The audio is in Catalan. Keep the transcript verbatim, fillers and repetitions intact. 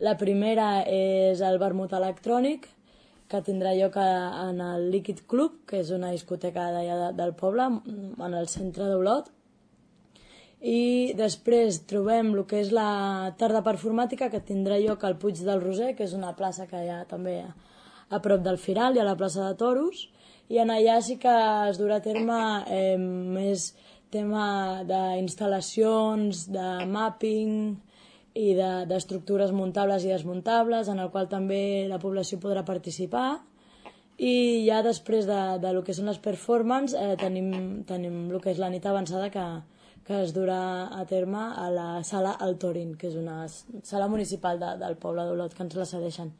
La primera és el vermut electrònic, que tindrà lloc en el Liquid Club, que és una discoteca d'allà del poble, en el centre d'Olot. I després trobem el que és la tarda performàtica, que tindrà lloc al Puig del Roser, que és una plaça que hi ha també a prop del Firal i a la plaça de Toros, i en allà sí que es durà a terme eh, més tema d'instal·lacions, de mapping i d'estructures muntables i desmuntables, en el qual també la població podrà participar. I ja després de, de lo que són les performances eh, tenim, tenim el que és la nit avançada, que, que es durà a terme a la sala El Torin, que és una sala municipal de, del poble d'Olot, que ens la cedeixen.